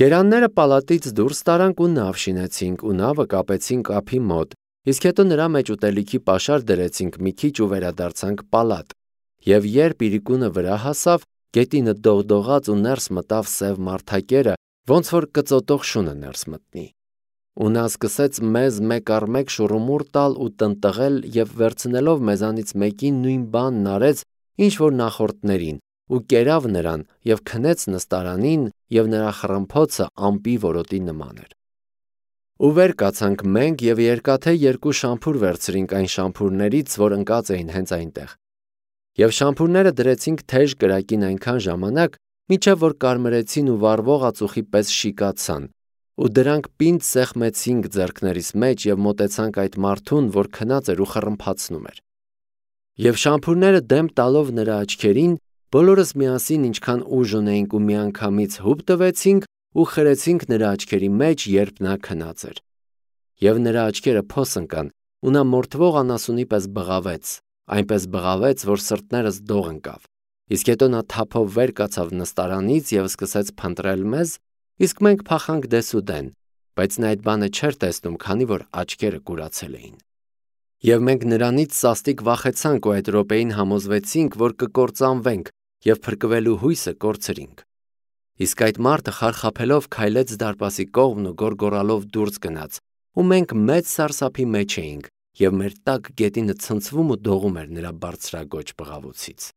Գերանները պալատից դուրս տարանք ու նավ շինեցինք ու նավը կապեցինք ափի մոտ, իսկ հետո նրա մեջ ուտելիքի պաշար դրեցինք մի քիչ ու վերադարձանք պալատ։ Եվ երբ իրիկունը վրա հասավ, գետինը դողդողաց ու ներս մտավ սև մարդակերը, ոնց որ կծոտող շունը ներս մտնի։ Ու նա սկսեց մեզ մեկ առ մեկ շուռումուռ տալ ու տնտղել եւ վերցնելով մեզանից մեկին նույն բանն արեց, ինչ որ նախորդներին, ու կերավ նրան եւ քնեց նստարանին, եւ նրա խռմփոցը ամպի որոտի նման էր։ Ու վեր կացանք մենք եւ երկաթե երկու շամփուր վերցրինք այն շամփուրներից, որ ընկած էին հենց այնտեղ։ Եվ շամփուրները դրեցինք թեժ կրակին այնքան ժամանակ, մինչև որ կարմրեցին ու վառվող ածուխի պես շիկացան, ու դրանք պինդ սեղմեցինք ձեռքներիս մեջ եւ մոտեցանք այդ մարդուն, որ քնած էր ու խռմփացնում էր։ Եվ շամփուրները դեմ տալով նրա աչքերին, բոլորս միասին ինչքան ուժ ունեինք ու միանգամից հուպ տվեցինք ու խրեցինք նրա աչքերի մեջ, երբ նա քնած էր։ Եվ նրա աչքերը փոս ընկան, ու նա մորթվող անասունի պես բղավեց, այնպես բղավեց, որ սրտներս դող ընկավ։ Իսկ հետո նա թափով վեր կացավ նստարանից եւ սկսեց փնտրել մեզ, իսկ մենք փախանք դեսուդեն, բայց նա այդ բանը չէր տեսնում, քանի որ աչքերը կուրացել էին։ Եվ մենք նրանից սաստիկ վախեցանք ու այդ րոպեին համոզվեցինք, որ կկործանվենք եւ փրկվելու հույսը կորցրինք։ Իսկ այդ մարդը խարխափելով քայլեց դարպասի կողմն ու գոռգոռալով դուրս գնաց, ու մենք մեծ սարսափի մեջ էինք, եւ մեր տակ գետինը ցնցվում ու դողում էր նրա բարձրագոչ բղավոցից։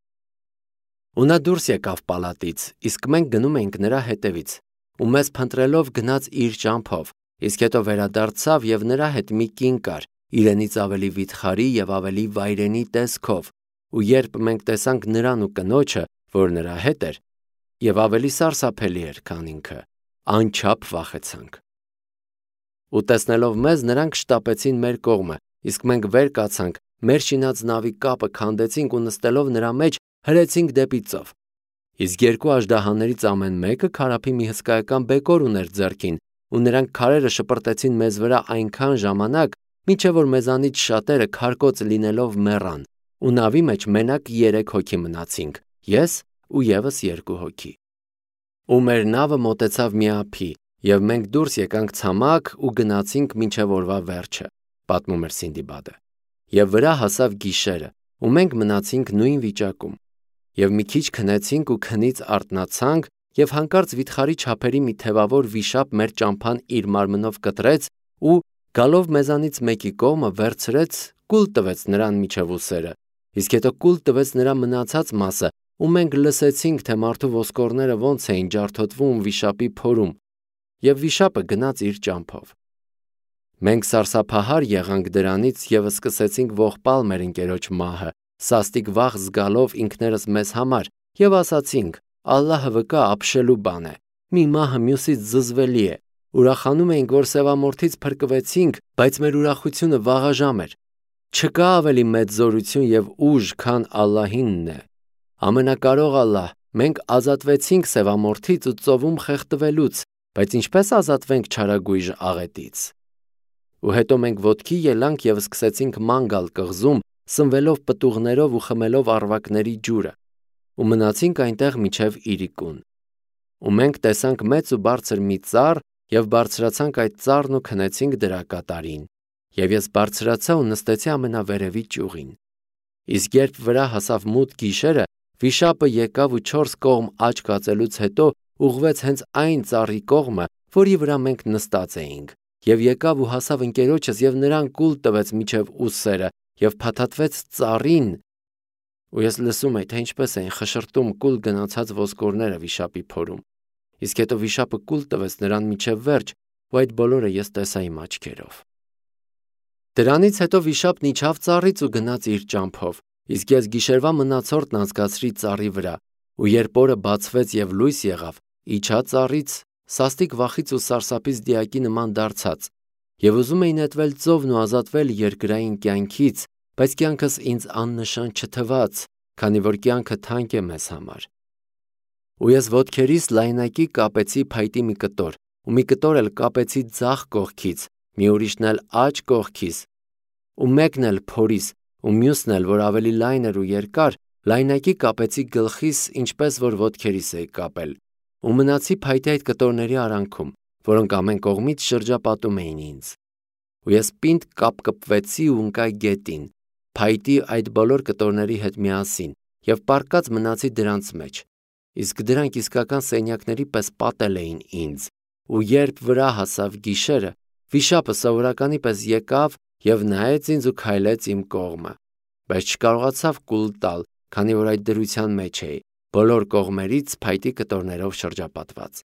Ու նա դուրս եկավ պալատից, իսկ մենք գնում էինք նրա հետևից, ու մեզ փնտրելով գնաց իր ճամփով, իսկ հետո վերադարձավ եւ նրա հետ մի կին կար, իրենից ավելի վիթխարի եւ ավելի վայրենի տեսքով, ու երբ մենք տեսանք նրան ու կնոջը, որ նրա հետ էր, եւ ավելի սարսափելի էր, քան ինքը, անչափ վախեցանք։ Ու տեսնելով մեզ, նրանք շտապեցին մեր կողմը, իսկ մենք վեր կացանք, մեր շինած նավի կապը քանդեցինք ու նստելով նրա մեջ հրեցինք դեպի ծով։ Իսկ երկու աժդահաներից ամեն մեկը քարափի մի հսկայական բեկոր ուներ ձեռքին, ու նրանք քարերը շպրտեցին մեզ վրա այնքան ժամանակ, մինչև որ մեզանից շատերը քարկոծ լինելով մեռան, ու նավի մեջ մենակ 3 հոգի մնացինք, ես ու եւս 2 հոգի։ Ու մեր նավը մոտեցավ մի ափի, եւ մենք դուրս եկանք ցամաք ու գնացինք մինչև օրվա վերջը, պատմում էր Սինդիբադը։ Եվ վրա հասավ գիշերը, ու մենք մնացինք նույն վիճակում։ Եվ մի քիչ քնեցինք ու քնից արթնացանք, եւ հանկարծ վիթխարի չափերի մի թևավոր վիշապ մեր ճամփան իր մարմնով կտրեց ու գալով մեզանից մեկի կողմը վերցրեց, կուլ տվեց նրան միջև ուսերը, իսկ հետո կուլ տվեց նրա մնացած մասը, ու մենք լսեցինք, թե մարդու ոսկորները ոնց էին ջարդոտվում վիշապի փորում, եւ վիշապը գնաց իր ճամփով։ Մենք սարսափահար եղանք դրանից եւ սկսեցինք ողբալ մեր ընկերոջ մահը, սաստիկ վախ զգալով ինքներս մեզ համար, եւ ասացինք. Ալլահը վկա ապշելու բան է, մի մահը մյուսից զզվելի է, ուրախանում էինք, որ սևամորթից փրկվեցինք, բայց մեր ուրախությունը վաղաժամ էր։ Չկա ավելի մեծ զորություն եւ ուժ, քան Ալլահինն է։ Ամենակարող Ալլահ, մենք ազատվեցինք սևամորթից ու ծովում խեղդվելուց, բայց ինչպես ազատվենք չարագույժ աղետից։ Ու հետո մենք ոտքի ելանք եւ սկսեցինք ման գալ կղզում, սնվելով պտուղներով ու խմելով առվակների ջուրը, ու մնացինք այնտեղ մինչև իրիկուն։ Ու մենք տեսանք մեծ ու բարձր մի ծառ եւ բարձրացանք այդ ծառն ու քնեցինք դրա կատարին։ Եվ ես բարձրացա ու նստեցի ամենավերևի ճյուղին։ Իսկ երբ վրա հասավ մութ գիշերը, վիշապը եկավ ու 4 կողմ աջ կացելուց հետո ուղղվեց հենց այն ծառի կողմը, որի վրա մենք նստած էինք, եւ եկավ ու հասավ ընկերոջս եւ նրան կուլ տվեց միջև ուսերը եւ փաթաթվեց ծառին։ Ու ես լսում էի, թե ինչպես էին խշրտում կուլ գնացած ոսկորները վիշապի փորում։ Իսկ հետո վիշապը կուլ տվեց նրան միջև վերջ, ու այդ բոլորը ես տեսա իմ աչքերով։ Դրանից հետո վիշապն իջավ ծառից ու գնաց իր ճամփով, իսկ ես գիշերվա մնացորդն անցկացրի ծառի վրա, ու երբ օրը բացվեց եւ լույս եղավ, իջա ծառից, սաստիկ վախից ու սարսափից դիակի նման դարձած, եւ ուզում էի նետվել ծովն ու ազատվել երկրային կյանքից, բայց կյանքս ինձ աննշան չթվաց, քանի որ կյանքը թանկ է մեզ համար։ Ու ես ոտքերիս լայնակի կապեցի փայտի մի կտոր, ու մի կտոր էլ կապեցի ձախ կողքից, մի ուրիշն էլ աջ կողքից, ու մեկն էլ փորիս, ու մյուսն էլ, որ ավելի լայն էր ու երկար, լայնակի կապեցի գլխիս, ինչպես որ ոտքերիս էի կապել, ու մնացի փայտի այդ կտորների արանքում, որոնք ամեն կողմից շրջապատում էին ինձ։ Ու ես պինդ կապկպվեցի ու ընկա գետին, փայտի այդ բոլոր կտորների հետ միասին, եւ պառկած մնացի դրանց մեջ։ Իսկ դրանք իսկական սենյակների պես պատել էին ինձ, ու երբ վրա հասավ գիշերը, վիշապը սովորականի պես եկավ եւ նայեց ինձ ու քայլեց իմ կողմը, բայց չկարողացավ կուլ տալ, քանի որ այդ դրության մեջ էի, բոլոր կողմերից փայտի կտորներով շրջապատված։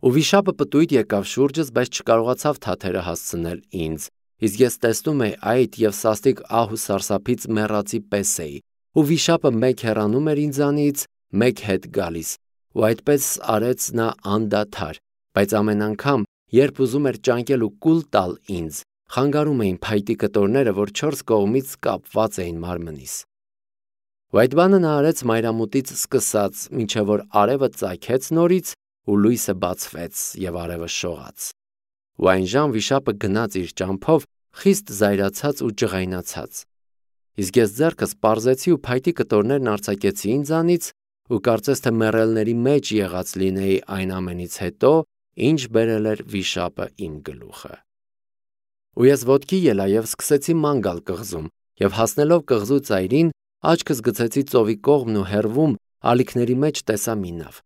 Ու վիշապը պտույտ եկավ շուրջս, բայց չկարողացավ թաթերը հասցնել ինձ, իսկ ես տեսնում էի այդ եւ սաստիկ ահ ու սարսափից մեռածի պես էի, ու վիշապը մեկ հեռանում էր ինձանից, մեկ հետ գալիս, ու այդպես արեց նա անդադար, բայց ամեն անգամ, երբ ուզում էր ճանկել ու կուլ տալ ինձ, խանգարում էին փայտի կտորները, որ 4 կողմից կապված էին մարմնիս։ Ու այդ բանը նա արեց մայրամուտից սկսած, մինչև որ արևը ծագեց նորից ու լույսը բացվեց եւ արևը շողաց։ Ու այն ժամ վիշապը գնաց իր ճամփով, խիստ զայրացած ու ջղայնացած։ Իսկ ես ձեռքս պարզեցի ու փայտի կտորներն արձակեցի ինձանից ու կարծես թե մեռելների մեջ եղած լինեի այն ամենից հետո, ինչ բերել էր վիշապը իմ գլուխը։ Ու ես ոտքի ելա եւ սկսեցի ման գալ կղզում, եւ հասնելով կղզու ծայրին, աչքս գցեցի ծովի կողմն ու հեռվում ալիքների մեջ տեսա մի նավ։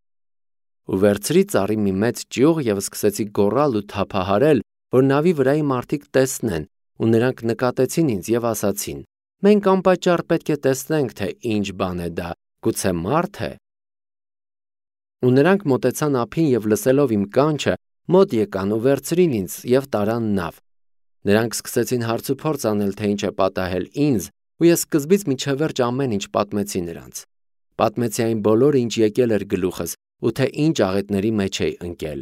Ու վերցրի ծառի մի մեծ ճյուղ եւ սկսեցի գոռալ ու թափահարել, որ նավի վրայի մարդիկ տեսնեն, ու նրանք նկատեցին ինձ եւ ասացին. «Մենք անպատճառ պետք է տեսնենք, թե ինչ բան է դա, գուցե մարդ է»։ Ու նրանք մոտեցան ափին եւ լսելով իմ կանչը, մոտ եկան ու վերցրին ինձ եւ տարան նավ։ Նրանք սկսեցին հարց ու փորձ անել, թե ինչ է պատահել ինձ, ու ես սկզբից մինչև վերջ ամեն ինչ պատմեցի նրանց։ Պատմեցի այն բոլորը, ինչ եկել էր գլուխս, ու թե ինչ աղետների մեջ էի ընկել։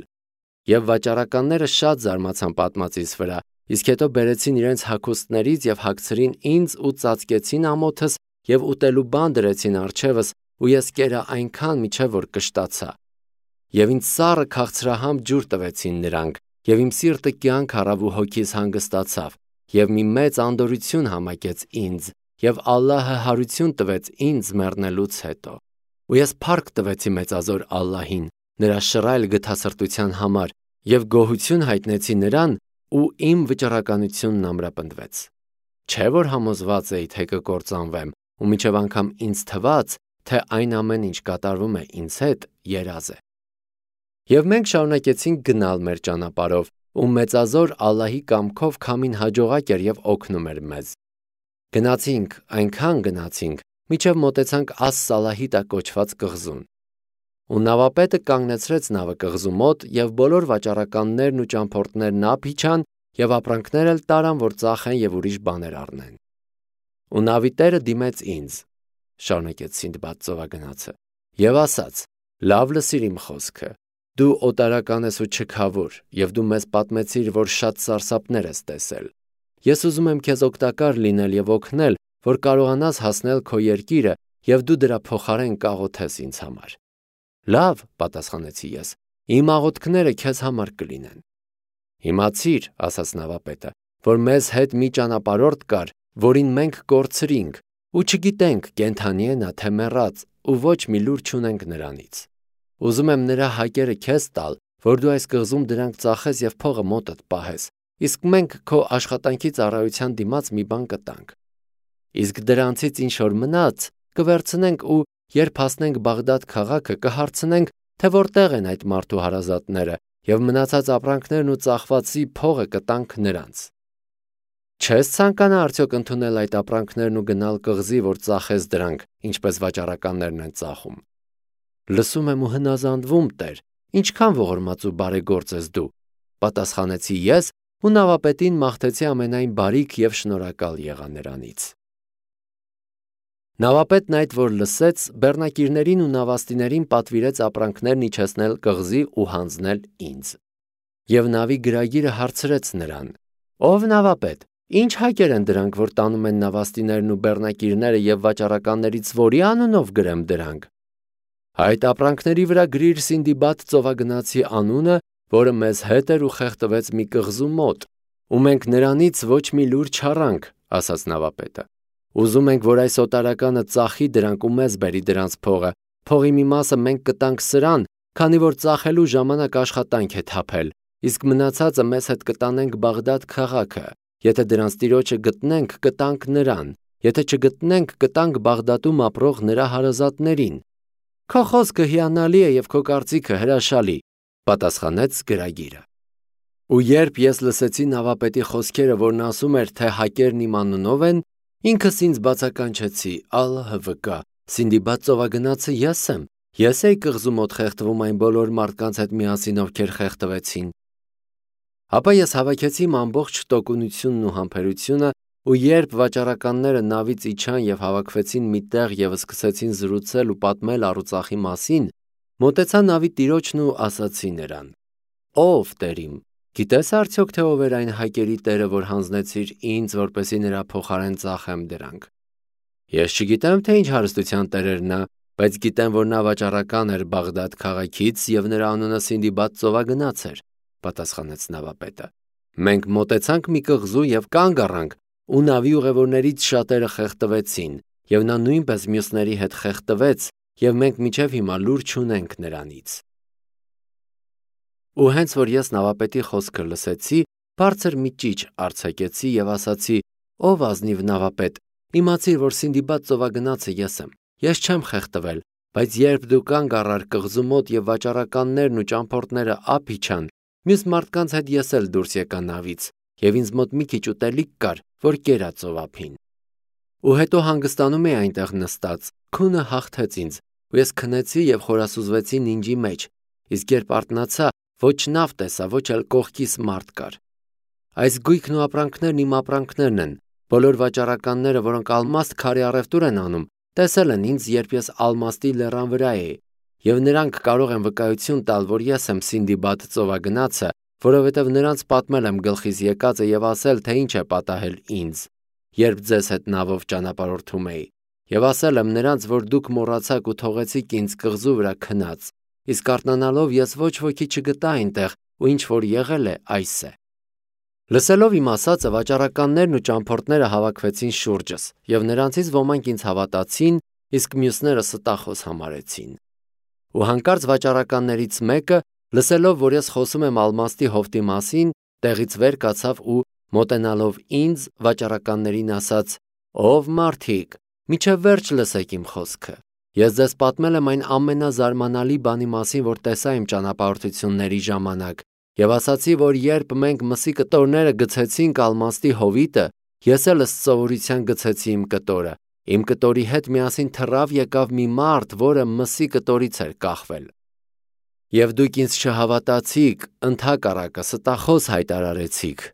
Եվ վաճառականները շատ զարմացան պատմածիս վրա, իսկ հետո բերեցին իրենց հագուստներից եւ հագցրին ինձ ու ծածկեցին ամոթս եւ ուտելու բան դրեցին առջևս, ու ես կերա այնքան միջև որ կշտացա։ Եվ ինձ սառը քաղցրահամ ջուր տվեցին նրանք, եւ իմ սիրտը կյանք առավ ու հոգիս հանգստացավ, եւ մի մեծ անդորություն համակեց ինձ, եւ Ալլահը հարություն տվեց ինձ մեռնելուց հետո։ Ու ես փառք տվեցի մեծազոր Ալլահին, նրա շռայլ գթասրտության համար, եւ գոհություն հայտնեցի նրան, ու իմ վճռականությունն ամրապնդվեց։ Չէ որ համոզված էի, թե կկործանվեմ, ու մինչև անգամ ինձ թվաց, թե այն ամեն ինչ կատարվում է ինձ հետ, երազ է։ Եվ մենք շարունակեցինք գնալ մեր ճանապարհով, ու մեծազոր Ալլահի կամքով քամին հաջողակ էր եւ օգնում էր մեզ։ Գնացինք, այնքան գնացինք, մինչև մոտեցանք Աս-Սալահիտա կոչված կղզուն։ Ու նավապետը կանգնեցրեց նավը կղզու մոտ, եւ բոլոր վաճառականներն ու ճամփորդներն ափ իջան եւ ապրանքներ էլ տարան, որ ծախեն եւ ուրիշ բաներ առնեն։ Ու նավի տերը դիմեց ինձ, շարունակեց Սինդբադ ծովագնացը, եւ ասաց. «Լավ լսիր իմ խոսքը։ Դու օտարական ես ու չքավոր, եւ դու մեզ պատմեցիր, որ շատ սարսափներ ես տեսել։ Ես ուզում եմ քեզ օգտակար լինել եւ օգնել, որ կարողանաս հասնել քո երկիրը, եւ դու դրա փոխարեն կաղոթես ինձ համար»։ «Լավ», պատասխանեցի ես, «իմ աղոթքները քեզ համար կլինեն»։ «Իմացիր», ասաց նավապետը, «որ մեզ հետ մի ճանապարհորդ կար, որին մենք կորցրինք, ու չգիտենք կենդանի է նա թե մեռած, ու ոչ մի լուր չունենք նրանից։ Ուզում եմ նրա հակերը քեզ տալ, որ դու այս կղզում դրանք ծախես եւ փողը մոտդ պահես, իսկ մենք քո աշխատանքի ծառայության դիմաց մի բան կտանք։ Իսկ դրանցից ինչ որ մնաց կվերցնենք ու երբ հասնենք Բաղդադ քաղաքը կհարցնենք, թե որտեղ են այդ մարդու հարազատները, եւ մնացած ապրանքներն ու ծախվածի փողը կտանք նրանց։ Չես ցանկանա արդյոք ընդունել այդ ապրանքներն ու գնալ կղզի, որ ծախես դրանք, ինչպես վաճառականներն են ծախում»։ «Լսում եմ ու հնազանդվում, Տեր, ինչքան ողորմած ու բարեգործ ես դու», պատասխանեցի ես ու նավապետին մաղթեցի ամենայն բարիք եւ շնորհակալ եղա նրանից։ Նավապետն այդ որ լսեց, բեռնակիրներին ու նավաստիներին պատվիրեց ապրանքներն իջեցնել կղզի ու հանձնել ինձ։ Եվ նավի գրագիրը հարցրեց նրան. «Ով նավապետ, ինչ հակեր են դրանք, որ տանում են նավաստիներն ու բեռնակիրները եւ վաճառականներից որի անունով գրեմ դրանք»։ «Այդ ապրանքների վրա գրիր Սինդբադ ծովագնացի անունը, որը մեզ հետ էր ու խեղդվեց մի կղզու մոտ, ու մենք նրանից ոչ մի լուր չառանք», ասաց նավապետը։ «Ուզում ենք, որ այս օտարականը ծախի դրանք ու մեզ բերի դրանց փողը, Փողի մի մասը մենք կտանք սրան, քանի որ ծախելու ժամանակ աշխատանք է թափել, իսկ մնացածը մեզ հետ կտանենք Բաղդադ քաղաքը։ Եթե դրանց տիրոջը գտնենք, կտանք նրան, եթե չգտնենք, կտանք Բաղդադում ապրող նրա հարազատներին։ Քո խոսքը հիանալի է և քո կարծիքը հրաշալի, պատասխանեց գրագիրը։ Ու երբ ես լսեցի նավապետի խոսքերը, որն ասում էր, թե հակերն իմ անունով են, ինքս ինձ բացականչեցի. ԱԼՀՎԿ, Սինդիբադ ծովագնացը ես եմ։ Ես էի կղզու մոտ խեղդվում այն բոլոր մարդկանց հետ միասին, ովքեր խեղդվեցին։ Ապա ես հավաքեցի իմ ամբողջ տոկունությունն ու համբերությունը, ու երբ վաճառականները նավից իջան և հավաքվեցին մի տեղ և սկսեցին զրուցել ու պատմել առուծախի մասին, մոտեցա նավի տիրոջն ու ասացի նրան. Ով Տեր իմ, գիտես արդյոք թե ով էր այն հակերի տերը, որ հանձնեցիր ինձ, որպեսզի նրա փոխարեն ծախեմ դրանք։ Ես չգիտեմ, թե ինչ հարստության տեր էր նա, բայց գիտեմ, որ նա վաճառական էր Բաղդադ քաղաքից և նրա անունը Սինդիբադ ծովագնաց էր, պատասխանեց նավապետը։ Մենք մոտեցանք մի կղզու և կանգ առանք, ու նավի ուղևորներից շատերը խեղդվեցին, և նա նույնպես մյուսների հետ խեղդվեց, և մենք մինչև հիմա լուր չունենք նրանից։ Ու հենց որ ես նավապետի խոսքը լսեցի, բարձր մի ճիչ արձակեցի և ասացի. Ով ազնիվ նավապետ, իմացիր, որ Սինդիբադ ծովագնացը ես եմ։ Ես չեմ խեղդվել, բայց երբ դու կանգ առար կղզու մոտ և վաճառականներն ու ճամփորդները ափ իջան, մյուս մարդկանց հետ ես էլ դուրս եկա նավից, և ինձ մոտ մի քիչ ուտելիք կար, որ կերա ծովափին։ Ու հետո հանգստանում էի այնտեղ նստած, քունը հաղթեց ինձ, ու ես քնեցի և խորասուզվեցի նինջի մեջ, իսկ երբ արթնացա, ոչ նավ տեսա, ոչ էլ կողքիս մարդ կար։ Այս գույքն ու ապրանքներն իմ ապրանքներն են։ Բոլոր վաճառականները, որոնք ալմաստ քարի առևտուր են անում, տեսել են ինձ, երբ ես ալմաստի լեռան վրա էի, և նրանք կարող են վկայություն տալ, որ ես եմ Սինդիբադ ծովագնացը, որովհետև նրանց պատմել եմ գլխիս եկածը և ասել, թե ինչ է պատահել ինձ, երբ ձեզ հետ նավով ճանապարհորդում էի, և ասել եմ նրանց, որ դուք մոռացաք ու թողեցիք ինձ կղզու վրա քնած, իսկ արթնանալով ես ոչ ոքի չգտա այնտեղ, ու ինչ որ եղել է, այս է։ Լսելով իմ ասածը, վաճառականներն ու ճամփորդները հավաքվեցին շուրջս, և նրանցից ոմանք ինձ հավատացին, իսկ մյուսները ստախոս համարեցին։ Ու հանկարծ վաճառականներից մեկը, լսելով, որ ես խոսում եմ ալմաստի հովտի մասին, տեղից վեր կացավ ու, մոտենալով ինձ, վաճառականներին ասաց. Ով մարդիկ, մինչև վերջ լսեք իմ խոսքը։ Ես ձեզ պատմել եմ այն ամենազարմանալի բանի մասին, որ տեսա իմ ճանապարհորդությունների ժամանակ, և ասացի, որ երբ մենք մսի կտորները գցեցինք ալմաստի հովիտը, ես էլ ըստ սովորության գցեցի իմ կտորը։ Իմ կտորի հետ միասին թռավ եկավ մի մարդ, որը մսի կտորից էր կախվել։ Եվ դուք ինձ չհավատացիք, ընդհակառակը ստախոս հայտարարեցիք։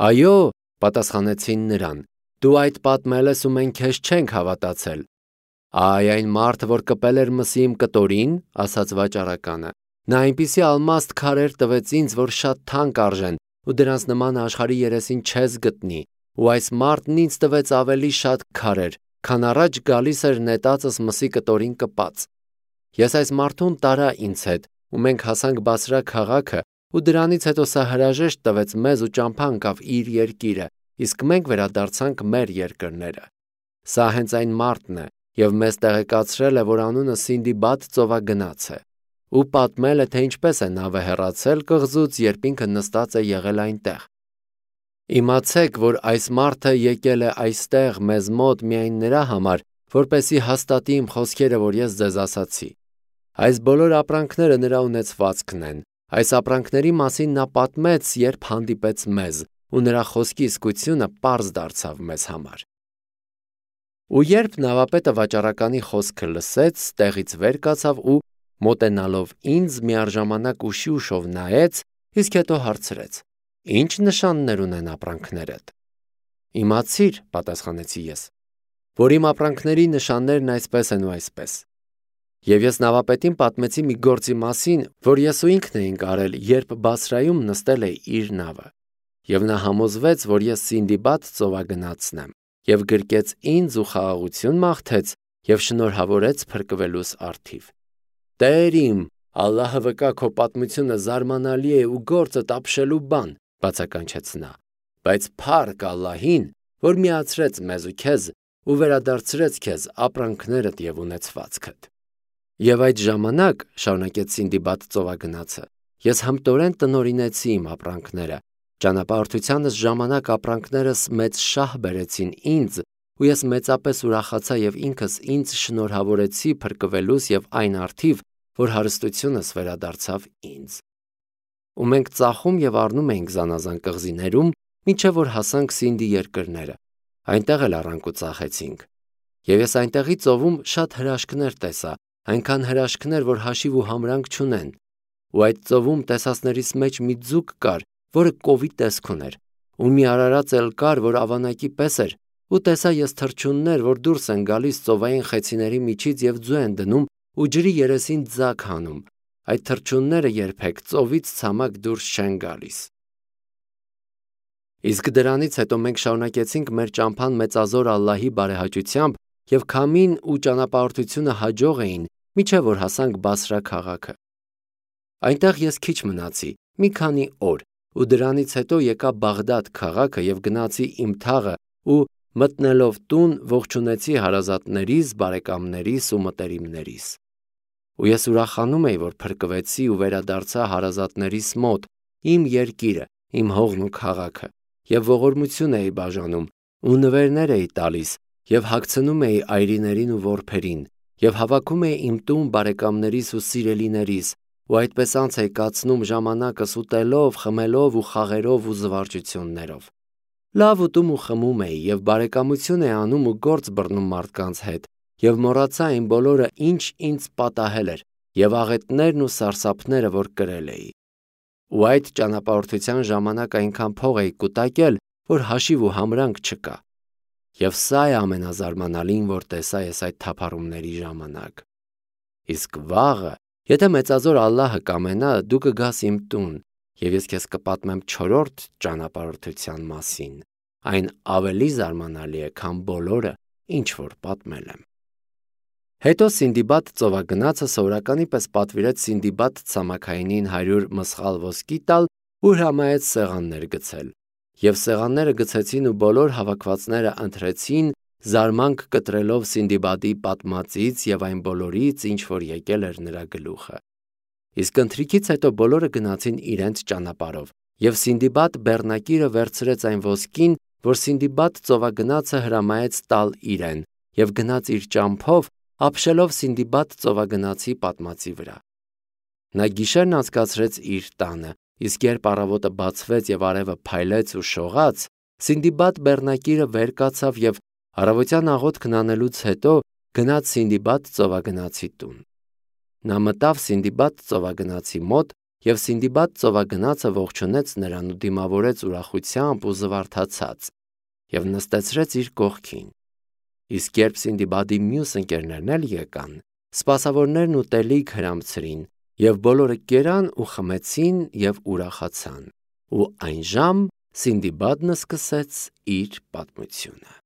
Այո, պատասխանեցին նրան, դու այդ պատմել ես ու մենք քեզ չենք հավատացել։ Այ այն մարդը, որ կպել էր մսի իմ կտորին, ասաց վաճառականը, նա այնպիսի ալմաստ քարեր տվեց ինձ, որ շատ թանկ արժեն, ու դրանց նմանը աշխարհի երեսին չես գտնի, ու այս մարդն ինձ տվեց ավելի շատ քարեր, քան առաջ գալիս էր նետածս մսի կտորին կպած։ Ես այս մարդուն տարա ինձ հետ, ու մենք հասանք Բասրա քաղաքը, ու դրանից հետո սա հրաժեշտ տվեց մեզ ու ճամփա ընկավ իր երկիրը, իսկ մենք վերադարձանք մեր երկրները։ Սա հենց այն մարդն է, և մեզ տեղեկացրել է, որ անունը Սինդիբադ ծովագնաց է, ու պատմել է, թե ինչպես է նավը հեռացել կղզուց, երբ ինքը նստած է եղել այնտեղ։ Իմացեք, որ այս մարդը եկել է այստեղ մեզ մոտ միայն նրա համար, որպեսզի հաստատի իմ խոսքերը, որ ես ձեզ ասացի։ Այս բոլոր ապրանքները նրա ունեցվածքն են։ Այս ապրանքների մասին նա պատմեց, երբ հանդիպեց մեզ, ու նրա խոսքի իսկությունը պարզ դարձավ մեզ համար։ Ու երբ նավապետը վաճառականի խոսքը լսեց, տեղից վեր կացավ ու, մոտենալով ինձ, միառժամանակ ուշի ուշով նայեց, իսկ հետո հարցրեց. Ինչ նշաններ ունեն ապրանքներդ։ Իմացիր, պատասխանեցի ես, որ իմ ապրանքների նշաններն այսպես են ու այսպես։ Եվ ես նավապետին պատմեցի մի գործի մասին, որ ես ու ինքն էինք արել, երբ Բասրայում նստել է իր նավը։ Եվ նա համոզվեց, որ ես Սինդիբադ ծովագնացն եմ, և գրկեց ինձ ու խաղաղություն մաղթեց և շնորհավորեց փրկվելուս առթիվ։ Տեր իմ, Ալլահը վկա, քո պատմությունը զարմանալի է ու գործը ապշելու բան, բացականչեց նա, բայց փառք Ալլահին, որ միացրեց մեզ ու քեզ ու վերադարձրեց քեզ ապրանքներդ և ունեցվածքդ։ Եվ այդ ժամանակ, շարունակեց Սինդիբադ ծովագնացը, ես հմտորեն տնօրինեցի իմ ապրանքները, ճանապարհորդությանս ժամանակ ապրանքներս մեծ շահ բերեցին ինձ, ու ես մեծապես ուրախացա եւ ինքս ինձ շնորհավորեցի փրկվելուս եւ այն արդիվ, որ հարստությունս վերադարձավ ինձ։ Ու մենք ծախում եւ առնում էինք զանազան կղզիներում, մինչեւ որ հասանք Սինդի երկրները։ Այնտեղ էլ առանք ու ծախեցինք։ Եվ ես այնտեղի ծովում շատ հրաշքներ տեսա, այնքան հրաշքներ, որ հաշիվ ու համրանք չունեն։ Ու այդ ծովում տեսածներից մեջ մի ձուկ կար, որը կովի տեսք ուներ, ու մի արարած էլ կար, որ ավանակի պես էր, ու տեսա ես թռչուններ, որ դուրս են գալիս ծովային խեցիների միջից եւ ձու են դնում ու ջրի երեսին ձակ հանում։ Այդ թռչունները երբեք ծովից ցամաք դուրս չեն գալիս։ Իսկ դրանից հետո մենք շարունակեցինք մեր ճամփան մեծազոր Ալլահի բարեհաճությամբ եւ քամին ու ճանապարհորդությունը հաջող էին, մինչեւ որ հասանք Բասրա քաղաքը։ Այնտեղ ես քիչ մնացի, մի քանի օր, ու դրանից հետո եկա Բաղդադ քաղաքը եւ գնացի իմ թաղը ու մտնելով տուն ողջունեցի հարազատներիս, բարեկամներիս ու մտերիմներիս։ Ու ես ուրախանում էի, որ փրկվեցի ու վերադարձա հարազատներիս մոտ, իմ երկիրը, իմ հողն ու քաղաքը, եւ ողորմություն էի բաժանում, ու նվերներ էի տալիս, եւ հագցնում էի այրիներին ու որբերին, եւ հավաքում էի իմ տուն բարեկամներիս ու սիրելիներիս, ու այդպես անց էի կացնում ժամանակս ուտելով, խմելով ու խաղերով ու զվարճություններով։ Լավ ուտում ու խմում էի եւ բարեկամություն էի անում ու գործ բռնում մարդկանց հետ եւ մոռացա այն բոլորը, ինչ ինձ պատահել էր եւ աղետներն ու սարսափները, որ կրել էի։ Ու այդ ճանապարհորդության ժամանակ այնքան փող էի կուտակել, որ հաշիվ ու համրանք չկա։ Եվ սա է ամենազարմանալին, որ տեսա ես այդ թափառումների ժամանակ։ Իսկ վաղը, եթե մեծազոր Ալլահը կամենա, դու կգաս իմ տուն, եւ ես քեզ կպատմեմ 4-րդ ճանապարհորդության մասին։ Այն ավելի զարմանալի է, քան բոլորը, ինչ որ պատմել եմ։ Հետո Սինդիբադ ծովագնացը սովորականի պես պատվիրեց Սինդիբադ ցամաքայինին 100 մսխալ ոսկի տալ ու հրամայեց սեղաններ գցել։ Եվ սեղանները գցեցին ու բոլոր հավաքվածները ընթրեցին, զարմանք կտրելով Սինդիբադի պատմածից եւ այն բոլորից, ինչ որ եկել էր նրա գլուխը։ Իսկ ընթրիքից հետո բոլորը գնացին իրենց ճանապարհով, եւ Սինդիբադ բեռնակիրը վերցրեց այն ոսկին, որ Սինդիբադ ծովագնացը հրամայեց տալ իրեն, եւ գնաց իր ճամփով, ապշելով Սինդիբադ ծովագնացի պատմածի վրա։ Նա գիշերն անցկացրեց իր տանը, իսկ երբ առավոտը բացվեց եւ արևը փայլեց ու շողաց, Սինդիբադ բեռնակիրը վեր կացավ եւ առավոտյան աղոթքն անելուց հետո գնաց Սինդիբադ ծովագնացի տուն։ Նա մտավ Սինդիբադ ծովագնացի մոտ եւ Սինդիբադ ծովագնացը ողջունեց նրան ու դիմավորեց ուրախությամբ ու զվարթացած եւ նստեցրեց իր կողքին։ Իսկ երբ Սինդիբադի մյուս ընկերներն էլ եկան, սպասավորներն ուտելիք հրամցրին եւ բոլորը կերան ու խմեցին եւ ուրախացան։ Ու այն ժամ Սինդիբադն սկսեց իր պատմությունը։